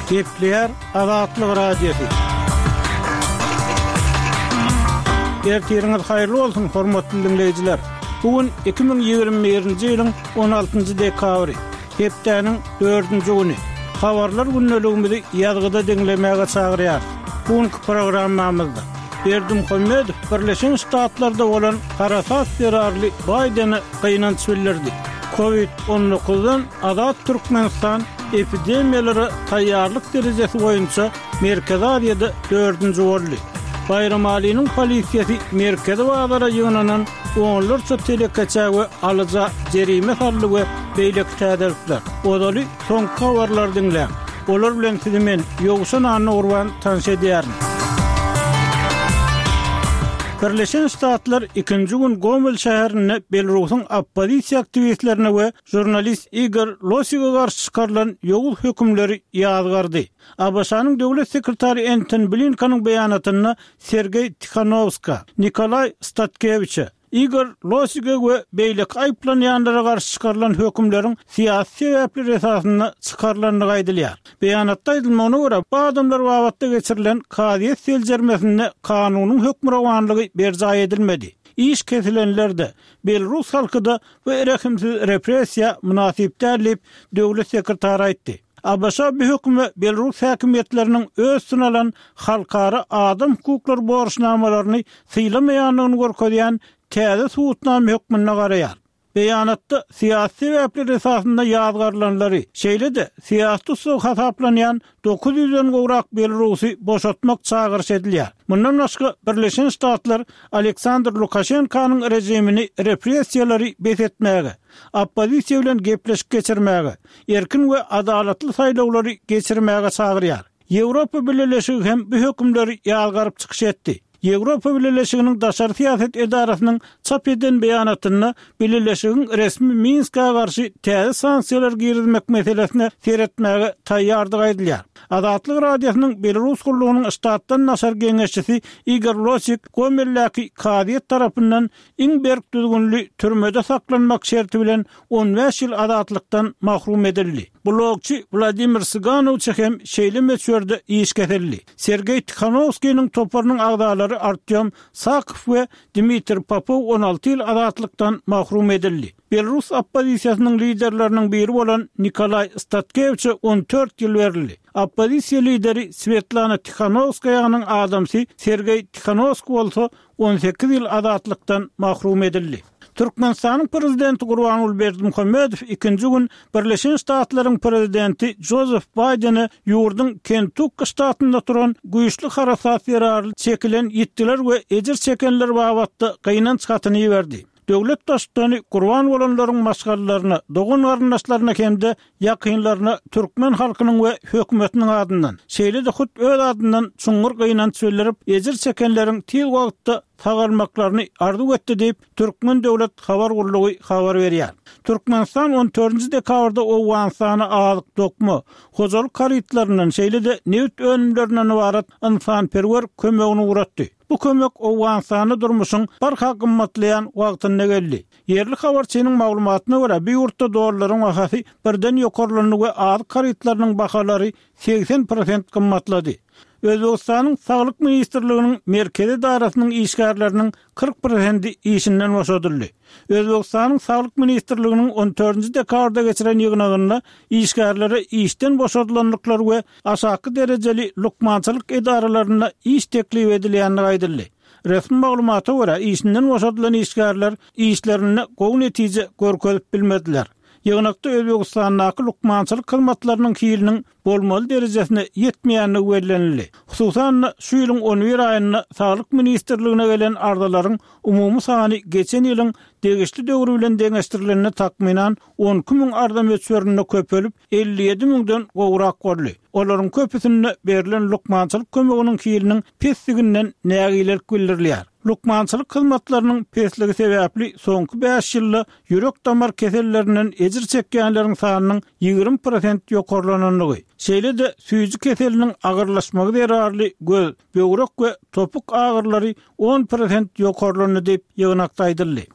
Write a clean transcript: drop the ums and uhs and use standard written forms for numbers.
Gepleýär Azatlyk Radiosy. Ertiriňiz haýyrly bolsun, hormatly diňleýjiler! Bu gün 2021-nji ýylyň 16-njy dekabry, hepdäniň dördünji güni. Habarlar gündeligimizi ýazgyda diňlemäge çagyrýarys. Bu günki programmamyzda Berdimuhamedow Birleşen Ştatlarda bolan harasat zerarly Baýdene gynanç bildirdi. Covid 19-dan azat Türkmenistan epidemiýalara taýýarlyk derejesi boýunça Merkezi Aziýada dördünji boldy. Baýramalynyň polisiýasy merkezi bazara ýygnanan onlarça telekeçä we alyja jerime saldy we beýleki täzelikler. Ozaly soňky habarlary diňläň. Olar bilen sizi men, Ýowşan Annagurban tanyş edýärin. Birleşen Ştatlar ikinji gün Gomel şäherinde Belarusyň oppozisiýa aktiwistlerine we žurnalist Igor Losige garşy çykarylan ýowuz hökümleri ýazgardy. ABŞ-nyň döwlet sekretary Entoni Blinkeniň beýanatynda Sergeý Tihanowska, Nikolaý Statkewiçe, Igor Losige we beýleki aýyplanýanlara garşy çykarylan hökümleriň syýasy sebäpler esasynda çykarylandygy aýdylýar. Beýanatda aýdylmagyna görä, bu adamlar babatda geçirilen kazyýet seljermesinde kanunyň hökmürowanlygy berjaý edilmedi. Iş kesilenler-de, belrus halky-da bu rehimsiz repressiýa mynasyp däl diýip, döwlet sekretary aýtdy. ABŞ bu höküme belrus häkimiýetleriniň öz üstüne alan halkara adam hukuklary borçnamalaryny sylamaýandygyny görkezýän täze subutnama hökmünde garaýar. Beýanatda syýasy sebäpler esasynda ýazgarylanlary, şeýle-de syýasy tussag hasaplanýan 900-den gowrak belarusy boşatmak çagyryş edilýär. Mundan başga, Birleşen Ştatlar Aleksandr Lukaşenkanyň režimini repressiýalary bes etmäge, oppozisiýa bilen gepleşik geçirmäge, erkin we adalatly saýlawlary geçirmäge çagyrýar. Ýewropa Bileleşigi hem bu hökümleri ýazgaryp çykyş etdi. Ýewropa Bileleşiginiň daşary syýasat edarasynyň çap eden beýanatynda Bileleşigiň resmi Minskä garşy täze sanksiýalar girizmek meselesine seretmäge taýýardygy aýdylýar. Azatlyk Radiosynyň Belarus gullugynyň ştatdan daşary geňeşçisi Igor Losik Gomeldäki kazyýet tarapyndan iň berk düzgünli türmede saklanmak şerti bilen 15 ýyl azatlykdan mahrum edildi. Blogçy Wladimir Syganowiçe hem şeýle möçberde iş kesildi. Sergeý Tihanowskiniň toparynyň agzalary Artýom Sakow we Dmitriý Popow 16 ýyl azatlykdan mahrum edildi. Belarus oppozisiýasynyň liderleriniň biri bolan Nikolaý Statkewiçe 14 ýyl berildi. Oppozisiýa lideri Swetlana Tihanowskaýanyň adamsy Sergeý Tihanowskiý bolsa 18 ýyl azatlykdan mahrum edildi. Türkmenistanyň Prezidenti Gurbanguly Berdimuhamedow ikinji gün Birleşen Ştatlaryň Prezidenti Jozef Baýdene ýurduň Kentukki ştatynda turan güýçli harasat zerarly çekilen ýitgiler we ejir çekenler babatda gynanç hatyny iberdi. Döwlet Baştutany gurban bolanlaryň maşgalalaryna, dogan-garyndaşlaryna hem-de ýakynlaryna türkmen halkynyň we hökümetiniň adyndan, şeýle-de hut öz adyndan çuňňur gynanç bildirip, ejir çekenleriň tiz wagtda sagalmaklaryny arzuw etdi diýip, Türkmen döwlet habar gullugy habar berýär. Türkmenistan on dördünji dekabrda Owganystana azyk, dokma, hojalyk harytlaryndan, şeýle-de nebit önümlerinden ybarat ynsanperwer kömegini ugratdy. Bu kömek Owganystanda durmuşyň barha gymmatlaýan wagtynda geldi. Ýerli habarçynyň maglumatyna görä, bu ýurtda dollaryň bahasy birden ýokarlandy we azyk harytlarynyň bahalary 80 prosent gymmatlady. Özbegistanyň Saglyk ministrliginiň merkezi edarasynyň işgärleriniň 40 prosendi işinden boşadyldy. Özbegistanyň Saglyk ministrliginiň on dördünji dekabrda geçiren ýygnagynda işgärlere işden boşadylandyklary we aşaky derejeli lukmançylyk edaralarynda iş teklip edilýändigi aýdyldy. Resmi maglumata görä, işinden boşadylan işgärler işlerinde gowy netije görkezip bilmediler. Ýygnakda Özbegistandaky lukmançylyk hyzmatlarynyň hiliniň bolmaly derejesine ýetmeýändigi bellenildi. Hususan-da, şu ýylyň on bir aýynda Saglyk ministrligine gelen arzalaryň umumy sany geçen ýylyň degişli döwri bilen deňeşdirilende takmynan 12 müň arza möçberinde köpelip, 57 müňden gowrak boldy. Olaryň köpüsinde berlen lukmançylyk kömeginiň hiliniň pesdiginden nägilelik bildirilýär. Lukmançylyk hyzmatlarynyň pesligi sebäpli soňky bäş ýylda ýürek-damar kesellerinden ejir çekýänleriň sanynyň 20 prosent ýokarlanandygy, şeýle-de süýji keseliniň agyrlaşmagy zerarly göz, böwrek we topuk agyrylary on prosent ýokarlandy diýip, ýygnakda aýdyldy.